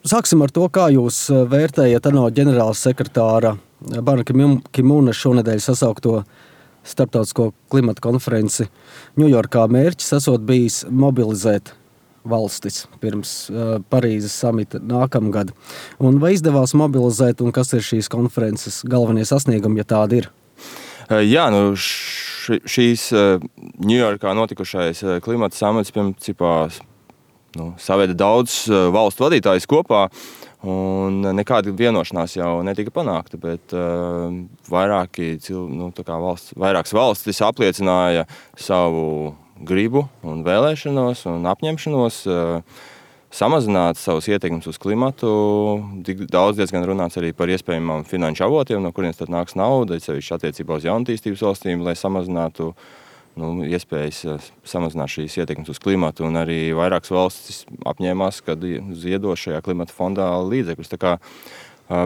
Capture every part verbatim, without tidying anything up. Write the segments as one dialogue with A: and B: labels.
A: Sāksim ar to, kā jūs vērtējat ANO ģenerāla sekretāra Ban Ki-mūna šonedēļ sasaukto starptautisko klimata konferenci Ņujorkā. Mērķis esot bijis mobilizēt valstis pirms uh, Parīzes samita nākamgad. Un vai izdevās mobilizēt, un kas ir šīs konferences galvenie sasniegumi, ja tādi ir?
B: Jā, nu š, šīs Ņujorkā notikušais klimata samits, principā, nu, saveda daudz valstu vadītājus kopā, un nekāda vienošanās jau netika panākta, bet uh, vairāki, nu, tā kā valsts, vairākas valstis apliecināja savu gribu un vēlēšanos un apņemšanos uh, samazināt savus ietekmes uz klimatu. Daudz diezgan runāts arī par iespējamām finanšu avotiem, no kurienes tad nāks nauda, sevišķi attiecībā uz jaunatīstības valstīm, lai samazinātu nu, iespējas samazināt šīs ietekmes uz klimatu, un arī vairākas valstis apņēmās, kad ziedos šajā klimata fondā līdzekļus. Tā kā,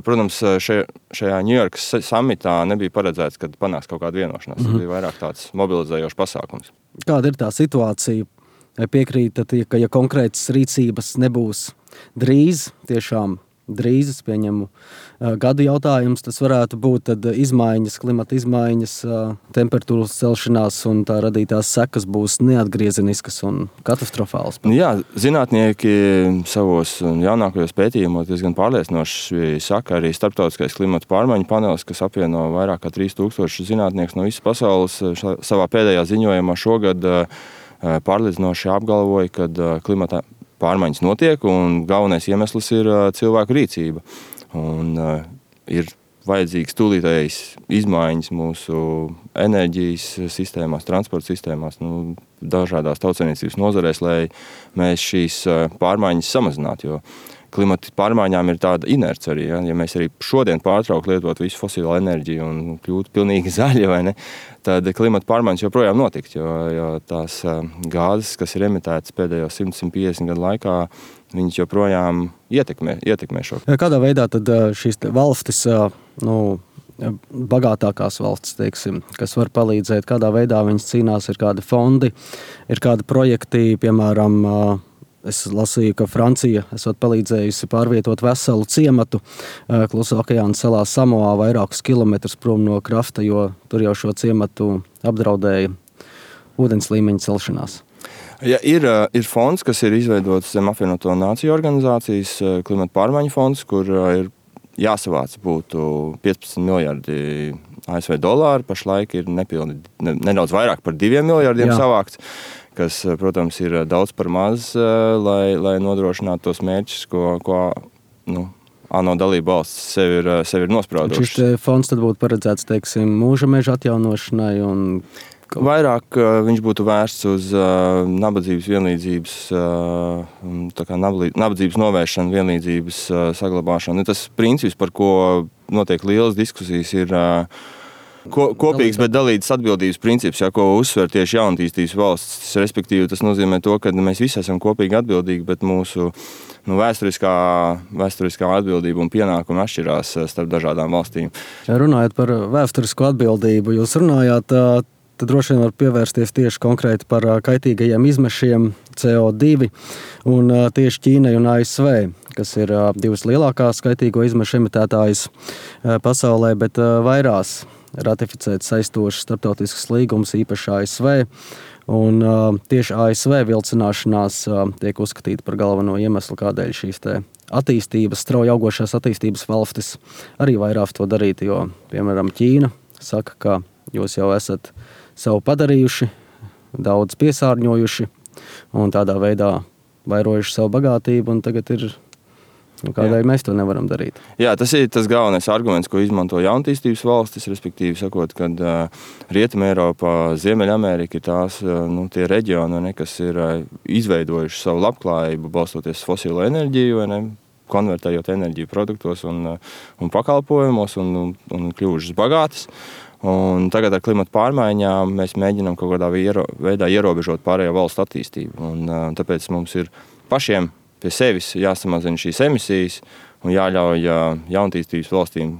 B: protams, šajā, šajā Ņujorkas samitā nebija paredzēts, kad panāks kaut kāda vienošanās. Mm-hmm. Tas bija vairāk tāds mobilizējošs pasākums.
A: Kāda ir tā situācija? Piekrītat, ka ja konkrētas rīcības nebūs drīz, tiešām drīz, es pieņemu gadu jautājums, tas varētu būt tad izmaiņas, klimata izmaiņas, temperatūras celšanās un tā radītās sekas būs neatgriezeniskas un katastrofālas.
B: Jā, zinātnieki savos jaunākajos pētījumos diezgan pārliecinoši saka, arī starptautiskais klimata pārmaiņu panelis, kas apvieno vairāk kā trīs tūkstoši zinātniekus no visas pasaules, savā pēdējā ziņojumā šogad pārliecinoši apgalvoja, ka klimata pārmaiņas notiek un galvenais iemesls ir cilvēku rīcība. Un uh, ir vajadzīgs tūlītējs izmaiņas mūsu enerģijas sistēmās, transporta sistēmās, nu, dažādās tautsaimniecības nozarēs, lai mēs šīs pārmaiņas samazinātu, jo klimata pārmaiņām ir tāda inerce arī. Ja, ja mēs arī šodien pārtrauktu lietot visu fosilo enerģiju un kļūtu pilnīgi zaļi, vai ne, tad klimata pārmaiņas joprojām notikt, jo, jo tās gāzes, kas ir emitētas pēdējos simt līdz piecdesmit gadu laikā, viņas joprojām ietekmē, ietekmē šo.
A: Kādā veidā tad šīs valstis, nu, bagātākās valstis, teiksim, kas var palīdzēt, kādā veidā viņas cīnās, ir kādi fondi, ir kādi projekti, piemēram, es lasīju, ka Francija esot palīdzējusi pārvietot veselu ciematu Klusā okeāna salā Samoā vairākus kilometrus prom no krasta, jo tur jau šo ciematu apdraudēja ūdens līmeņa celšanās.
B: Ja, ir, ir fonds, kas ir izveidots zem apvienoto nāciju organizācijas, klimata pārmaiņu fonds, kur ir jāsavāc būtu piecpadsmit miljardi A S V dolāru, pašlaik ir nepilni, ne, nedaudz vairāk par diviem miljardiem Jā. savākts, kas, protams, ir daudz par maz, lai, lai nodrošinātu tos mērķus, ko, ko nu, ANO dalība valsts sev ir, sev ir nospraudušas.
A: Šis fonds tad būtu paredzēts, teiksim, mūža meža atjaunošanai un...
B: Vairāk viņš būtu vērsts uz uh, nabadzības vienlīdzības, uh, tā kā nabadzības novēršanu, vienlīdzības uh, saglabāšanu. Tas princips, par ko notiek lielas diskusijas, ir uh, ko, kopīgs, bet dalītas atbildības princips, ja, ko uzsver tieši jaunatīstības valsts. Respektīvi, tas nozīmē to, ka mēs visi esam kopīgi atbildīgi, bet mūsu nu, vēsturiskā, vēsturiskā atbildība un pienākuma atšķirās starp dažādām valstīm.
A: Ja runājot par vēsturisko atbildību, jūs runājāt, tad droši vien var pievērsties tieši konkrēti par kaitīgajiem izmešiem C O divi un tieši Ķīnai un A S V, kas ir divas lielākās kaitīgo izmešu emitētājas pasaulē, bet vairās ratificēt saistošas starptautiskas līgumas, īpaši A S V. Un tieši A S V vilcināšanās tiek uzskatīta par galveno iemeslu, kādēļ šīs te attīstības, strauji augošās attīstības valstis arī vairāk to darīt, jo, piemēram, Ķīna saka, ka jūs jau esat savu padarījuši, daudz piesārņojuši un tādā veidā vairojuši savu bagātību, un tagad ir, nu, kādēļ mēs to nevaram darīt.
B: Jā, tas ir tas galvenais arguments, ko izmanto jaunatīstības valstis, respektīvi sakot, kad uh, Rietuma Eiropa, Ziemeļamerika ir tās, uh, nu, tie reģioni, ne, kas ir uh, izveidojuši savu labklājību, balstoties fosilo enerģiju, ne, konvertējot enerģiju produktos un, uh, un pakalpojumos un, un, un kļuvušas bagātas. Un tagad ar klimata pārmaiņām mēs mēģinām kaut kādā veidā ierobežot pārējo valstu attīstību. Un, tāpēc mums ir pašiem pie sevis jāsamazina šīs emisijas un jāļauj jaunatīstības valstīm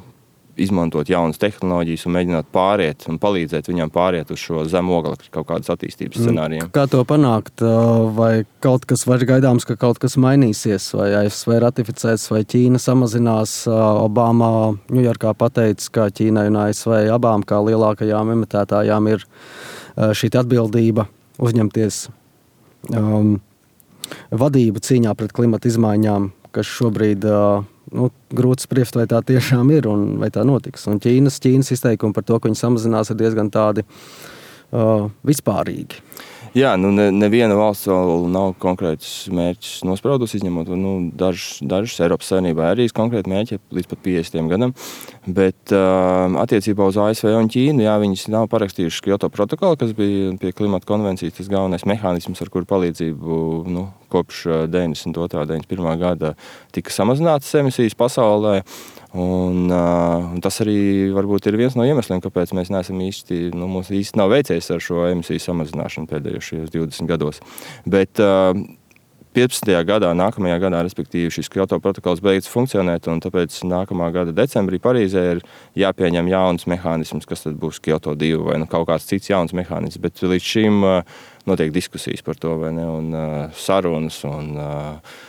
B: izmantot jaunas tehnoloģijas un mēģināt pāriet un palīdzēt viņam pāriet uz šo zemu oglekļa kaut kādas attīstības scenārijiem.
A: Kā to panākt? Vai kaut kas var gaidāms, ka kaut kas mainīsies? Vai A S V ratificēs, vai Ķīna samazinās? Obama Ņujorkā pateica, ka Ķīnai un A S V abām kā lielākajām emitētājām ir šī atbildība uzņemties um, vadību cīņā pret klimata izmaiņām, kas šobrīd uh, nu, grūti spriest, vai tā tiešām ir un vai tā notiks. Un Ķīnas, Ķīnas izteikumi par to, ka viņi samazinās, ir diezgan tādi uh, vispārīgi.
B: Jā, nu ne, neviena valsts vēl nav konkrēts mērķis nospraudus, izņemot nu, dažas, dažas Eiropas Savienībā arī konkrēti mērķi līdz pat piecdesmitajam gadam, bet uh, attiecībā uz A S V un Ķīnu, jā, viņas nav parakstījušas Kyoto protokolu, kas bija pie klimata konvencijas tas galvenais mehānisms, ar kuru palīdzību nu, kopš deviņdesmit otrā deviņdesmit pirmā gada tika samazinātas emisijas pasaulē. Un, uh, un tas arī varbūt ir viens no iemesliem, kāpēc mēs neesam īsti, nu, mums īsti nav veicies ar šo emisiju samazināšanu pēdējos divdesmit gados. Bet uh, piecpadsmitajā gadā, nākamajā gadā, respektīvi, šis Kyoto protokols beidz funkcionēt, un tāpēc nākamā gada decembrī Parīzē ir jāpieņem jauns mehānisms, kas tad būs Kyoto divi vai nu, kaut kāds cits jauns mehānisms. Bet līdz šim uh, notiek diskusijas par to, vai ne, un uh, sarunas un uh,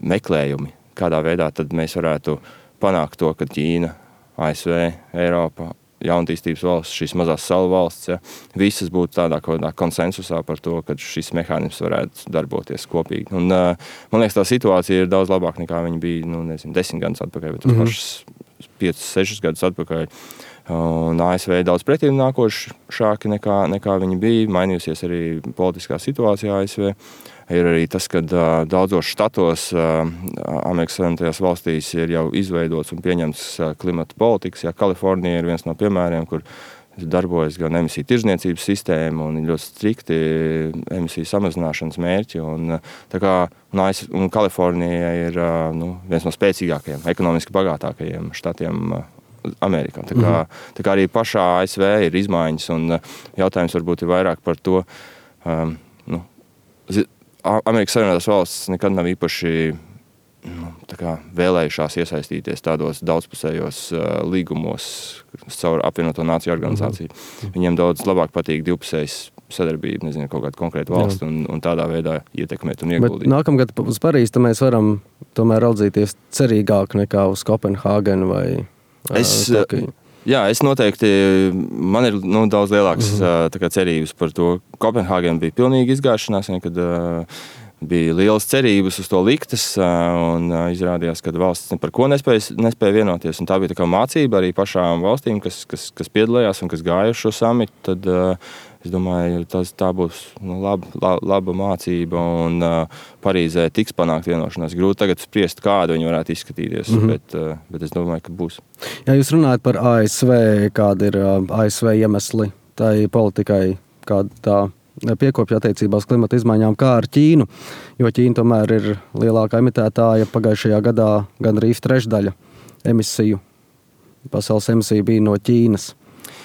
B: meklējumi, kādā veidā tad mēs varētu panākt to, ka Ķīna, A S V, Eiropa, jaunatīstības valsts, šīs mazās salu valsts, ja, visas būtu tādā kaut kādā konsensusā par to, ka šis mehānisms varētu darboties kopīgi. Un, uh, man liekas, tā situācija ir daudz labāka nekā viņa bija, nu, nezinu, desmit gadus atpakaļ, bet mm-hmm. pašas piecus, sešus gadus atpakaļ. Un A S V daudz pretīm nākošāki nekā, nekā viņi bija, mainījusies arī politiskā situācija A S V. Ir arī tas, ka uh, daudzos štatos uh, Amerikas Savienotajās valstīs ir jau izveidots un pieņemts uh, klimata politikas. Jā, Kalifornija ir viens no piemēriem, kur darbojas gan emisiju tirdzniecības sistēma un ir ļoti strikti emisiju samazināšanas mērķi. Un, tā kā, un, un Kalifornija ir uh, nu, viens no spēcīgākajiem, ekonomiski bagātākajiem štatiem uh, Amerikā. Tā kā, tā kā arī pašā A S V ir izmaiņas un uh, jautājums varbūt ir vairāk par to, um, nu, zi, Amerikas Savienotās valstis nekad nav īpaši nu, tā kā vēlējušās iesaistīties tādos daudzpusējos uh, līgumos caur apvienoto nāciju organizāciju. Mm-hmm. Viņiem daudz labāk patīk divpusējas sadarbība, nezinu, kaut kādu konkrētu valstu un, un tādā veidā ietekmēt un ieguldīt. Bet
A: nākamgad uz Parīzi mēs varam tomēr raudzīties cerīgāk nekā uz Kopenhāgenu vai uh,
B: es, Tokiju. Jā, es noteikti, man ir nu, daudz lielākas mm-hmm. tā kā, cerības par to. Kopenhāgena bija pilnīgi izgāšanās, kad uh, bija lielas cerības uz to liktas, uh, un uh, izrādījās, ka valsts par ko nespēja, nespēja vienoties. Un tā bija tā kā mācība arī pašām valstīm, kas, kas, kas piedalījās un kas gāja uz šo samitu. Tad, uh, es domāju, tas, tā būs nu, laba, laba, laba mācība, un uh, Parīzē tiks panākt vienošanās. Grūti tagad spriest, kāda viņi varētu izskatīties, mm-hmm. bet, uh, bet es domāju, ka būs.
A: Ja jūs runājat par A S V, kāda ir uh, A S V iemesli tai politikai, kāda tā piekopja attiecībās klimata izmaiņām, kā ar Ķīnu, jo Ķīna tomēr ir lielākā emitētāja. Pagājušajā gadā gandrīz trešdaļa emisiju, pasaules emisiju bija no Ķīnas.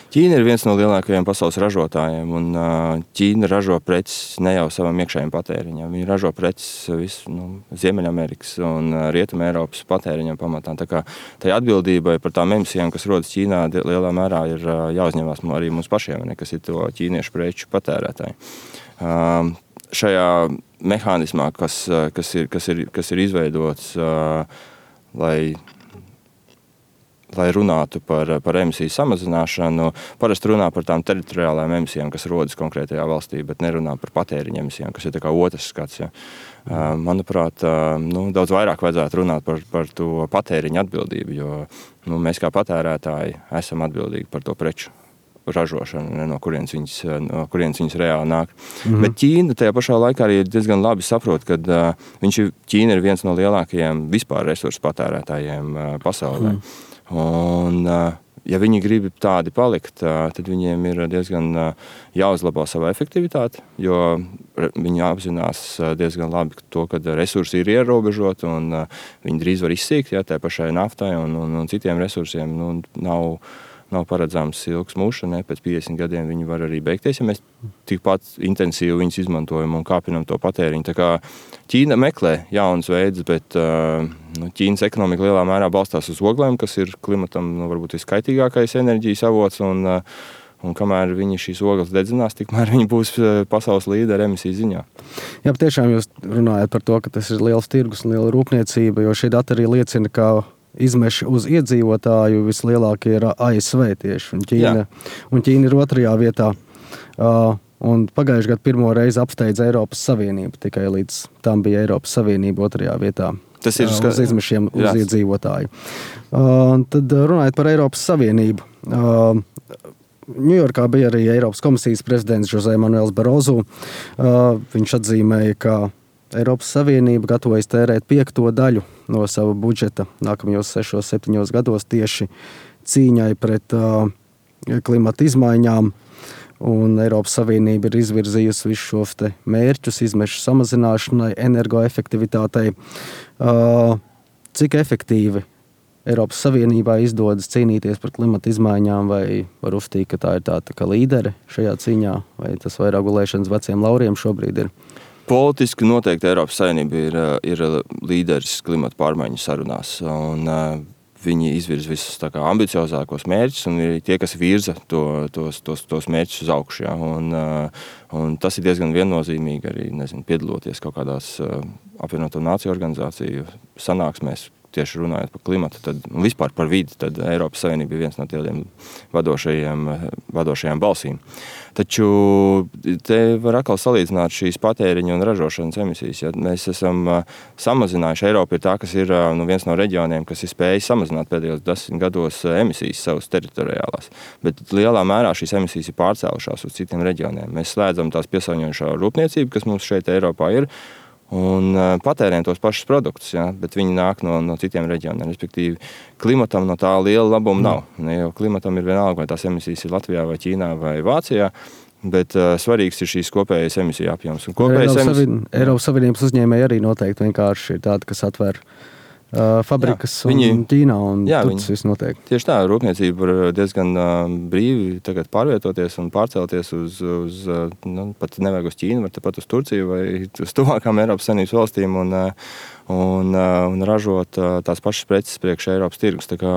B: Ķīna ir viens no lielākajiem pasaules ražotājiem, un Ķīna ražo preces ne jau savam iekšējiem patēriņam. Viņi ražo preces visu nu, Ziemeļamerikas un Rietuma Eiropas patēriņam pamatā. Tā kā tai atbildībai par tām emisijām, kas rodas Ķīnā, lielā mērā ir jāuzņemās arī mums pašiem, ne, kas ir to ķīniešu preču patērētāji. Um, šajā mehānismā, kas, kas, ir, kas, ir, kas ir izveidots, uh, lai lai runātu par, par emisiju samazināšanu, parasti runā par tām teritoriālām emisijām, kas rodas konkrētajā valstī, bet nerunā par patēriņa emisijām, kas ir tā kā otrs skats. Ja. Manuprāt, nu, daudz vairāk vajadzētu runāt par, par to patēriņa atbildību, jo nu, mēs kā patērētāji esam atbildīgi par to preču ražošanu, ne, no kurienes viņas, no kurienes viņas reāli nāk. Mm-hmm. Bet Ķīna tajā pašā laikā arī diezgan labi saprot, ka uh, viņš ir, Ķīna ir viens no lielākajiem vispār resursu patērētājiem uh, pasaulē. Mm. Un, ja viņi grib tādi palikt, tad viņiem ir diezgan jāuzlabo savu efektivitāti, jo viņi apzinās diezgan labi to, ka resursi ir ierobežoti un viņi drīz var izsīkt, ja, tā pašai naftai un, un, un citiem resursiem nu, nav, nav paredzams ilgs mūžs, ne, pēc piecdesmit gadiem viņi var arī beigties, ja mēs tikpat intensīvi viņus izmantojam un kāpinam to patēriņu. Tā kā Ķīna meklē jaunas veidus, bet uh, nu, Ķīnas ekonomika lielā mērā balstās uz oglēm, kas ir klimatam nu, varbūt viskaitīgākais enerģijas avots, un, uh, un kamēr viņi šīs ogles dedzinās, tikmēr viņi būs pasaules līderi emisiju ziņā.
A: Jā, tiešām jūs runājat par to, ka tas ir liels tirgus un liela rūpniecība, jo šī data arī liecina, ka izmeši uz iedzīvotāju vislielākie ir A S V tieši, un Ķīna, un Ķīna ir otrajā vietā. Uh, un pagājušajā gadā pirmo reizi apsteidza Eiropas Savienību, tikai līdz tam bija Eiropas Savienība otrajā vietā.
B: Tas ir
A: uh,
B: ska...
A: uz izmešiem uz
B: Jā.
A: iedzīvotāju. Uh, tad runājot par Eiropas Savienību. Uh, Ņujorkā bija arī Eiropas komisijas prezidents José Manuels Barroso. Uh, viņš atzīmēja, ka Eiropas Savienība gatavojas tērēt piekto daļu no sava budžeta nākamajos sešos, septiņos gados tieši cīņai pret uh, klimata izmaiņām. Un Eiropas Savienība ir izvirzījusi visus šos te mērķus izmešu samazināšanai, energoefektivitātei. Uh, cik efektīvi Eiropas Savienībā izdodas cīnīties par klimata izmaiņām, vai var uzstīt, ka tā ir tā, tā kā līdere šajā cīņā, vai tas vairāk gulēšanas veciem lauriem šobrīd ir?
B: Politiski noteikti Eiropas Savienība ir, ir līderis klimata pārmaiņu sarunās, un uh, viņi izvirza visus tā kā ambiciozākos mērķus, un ir tie, kas virza to, tos, tos, tos mērķus uz augšu. Ja? Un, uh, un tas ir diezgan viennozīmīgi arī, nezinu, piedaloties kaut kādās uh, apvienoto nāciju organizāciju sanāksmēs, tieši runājot par klimatu, tad, un vispār par vidi, tad Eiropas Savienība ir viens no tādiem vadošajiem, vadošajām balsīm. Taču te var atkal salīdzināt šīs patēriņa un ražošanas emisijas. Ja mēs esam samazinājuši, Eiropa ir tā, kas ir nu, viens no reģioniem, kas ir spējis samazināt pēdējos desmit gados emisijas savas teritoriālās. Bet lielā mērā šīs emisijas ir pārcēlušās uz citiem reģioniem. Mēs slēdzam tās piesārņojošā rūpniecību, kas mums šeit Eiropā ir, un patērējam tos pašus produktus, ja, bet viņi nāk no, no citiem reģioniem. Respektīvi, klimatam no tā liela labuma nav. Ne, jo klimatam ir vienalga, vai tās emisijas ir Latvijā, vai Ķīnā, vai Vācijā, bet uh, svarīgs ir šīs kopējas emisiju apjoms. Un kopējas
A: Eiropas,
B: emisiju...
A: Savien... Eiropas Savienības uzņēmēji arī noteikti vienkārši ir tādi, kas atver uh, fabrikas jā, viņi... un Ķīnā, un jā, tur tas viss notiek.
B: Tieši tā, rūpniecība var diezgan uh, brīvi tagad pārvietoties un pārcelties uz, uz uh, nu, pat nevajag uz Ķīnu, var tepat uz Turciju vai uz tuvākām Eiropas Savienības valstīm un, uh, un, uh, un ražot uh, tās pašas preces priekš Eiropas tirgus. Tā kā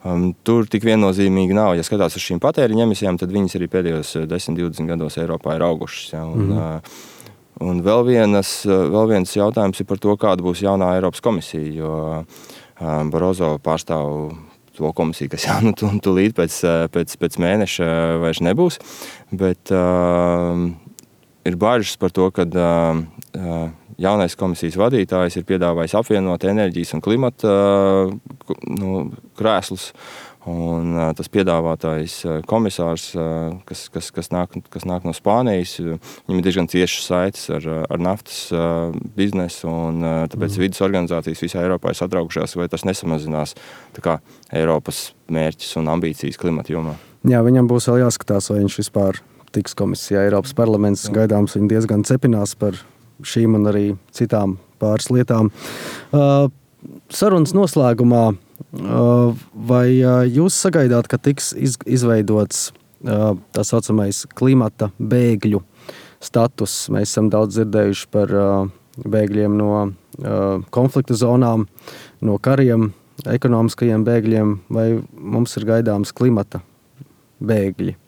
B: um, tur tik viennozīmīgi nav. Ja skatās uz šīm patēriņa emisijām, tad viņas arī pēdējos desmit līdz divdesmit gados Eiropā ir augušas. Ja, un, mm. uh, Un vēl, vienas, vēl viens jautājums ir par to, kāda būs jaunā Eiropas komisija, jo um, Barroso pārstāv to komisiju, kas jau nu, tūlīt pēc, pēc, pēc mēneša vairs nebūs, bet uh, ir bažas par to, ka uh, jaunais komisijas vadītājs ir piedāvājis apvienot enerģijas un klimata uh, nu, krēslus. Un uh, tas piedāvātājs uh, komisārs, uh, kas, kas, kas, nāk, kas nāk no Spānijas, uh, viņam ir diezgan ciešas saites ar, ar naftas uh, biznesu, un uh, tāpēc mm. vidas organizācijas visā Eiropā ir satraukušās, vai tas nesamazinās tā kā Eiropas mērķis un ambīcijas klimata jomā.
A: Jā, viņam būs vēl jāskatās, vai viņš vispār tiks komisijā. Eiropas parlaments Jā. gaidāms viņi diezgan cepinās par šīm un arī citām pāris lietām. Uh, sarunas noslēgumā vai jūs sagaidāt, ka tiks izveidots tā saucamais klimata bēgļu status? Mēs esam daudz dzirdējuši par bēgļiem no konflikta zonām, no kariem, ekonomiskajiem bēgļiem, vai mums ir gaidāms klimata bēgļi?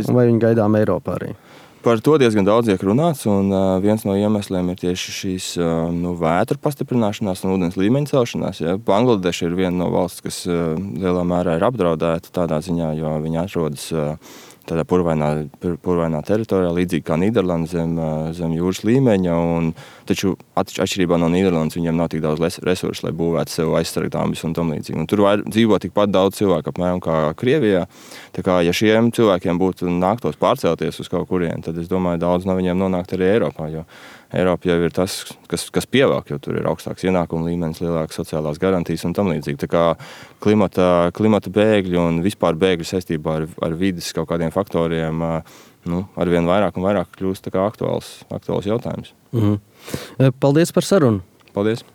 A: Un vai viņi gaidām Eiropā arī?
B: Par to diezgan daudz tiek runāts, un uh, viens no iemesliem ir tieši šīs uh, nu, vētru pastiprināšanās un ūdens līmeņa celšanās. Ja. Bangladeša ir viena no valsts, kas uh, lielā mērā ir apdraudēta tādā ziņā, jo viņi atrodas uh, tādā purvainā, purvainā teritorijā, līdzīgi kā Nīderlanda zem, zem jūras līmeņa, un taču atšķirībā no Nīderlandes viņiem nav tik daudz resursu, lai būvētu sev aizsargdāmbis un tam līdzīgi. Un tur var dzīvo tikpat daudz cilvēku apmēram kā Krievijā. Tā kā, ja šiem cilvēkiem būtu nāktos pārcelties uz kaut kurien, tad es domāju, daudz no viņiem nonākt arī Eiropā, jo Eiropa jau ir tas, kas, kas pievāk, jo tur ir augstāks ienākuma līmenis, lielākas sociālās garantijas un tam līdzīgi. Tā kā klimata, klimata bēgļi un vispār bēgļi saistībā ar, ar vides kaut kādiem faktoriem nu, arvien vairāk un vairāk kļūst tā kā aktuāls, aktuāls jautājums.
A: Mhm. Paldies par sarunu.
B: Paldies.